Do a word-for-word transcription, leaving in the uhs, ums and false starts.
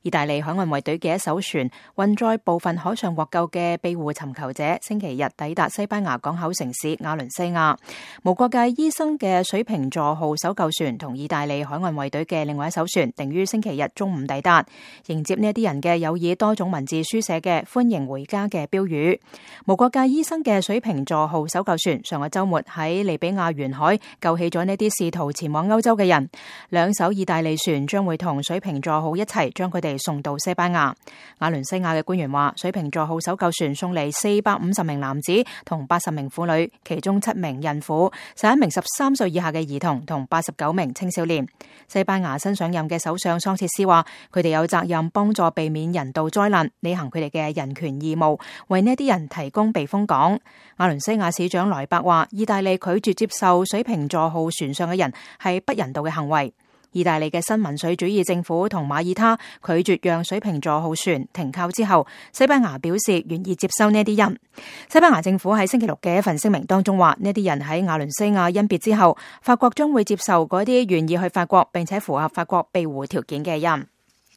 意大利海岸衛隊嘅一艘船運載部分海上獲救嘅庇護尋求者，星期日抵達西班牙港口城市瓦倫西亞。無國界醫生嘅水瓶座號搜救船同意大利海岸衛隊嘅另外一艘船，定於星期日中午抵達。迎接呢一啲人嘅有以多種文字書寫嘅歡迎回家嘅標語。無國界醫生嘅水瓶座號搜救船上個週末喺利比亞沿海救起咗呢啲試圖前往歐洲嘅人。兩艘意大利船將會同水瓶座號一齊將佢哋送到西班牙。瓦倫西亞嘅官員話，水瓶座號搜救船送嚟四百五十名男子同八十名婦女，其中七名孕婦、十一名十三歲以下嘅兒童同八十九名青少年。西班牙新上任嘅首相桑切斯話，佢哋有責任幫助避免人道災難，履行佢哋嘅人權義務，為呢啲人提供避風港。瓦倫西亞市長萊伯話，意大利拒絕接受水瓶座號船上嘅人係不人道嘅行為。意大利嘅新民粹主義政府同馬耳他拒絕讓水瓶座號船停靠之後，西班牙表示願意接收呢啲人。西班牙政府喺星期六嘅一份聲明當中話，呢啲人喺瓦倫西亞甄別之後，法國將會接受嗰啲願意去法國並且符合法國庇護條件嘅人。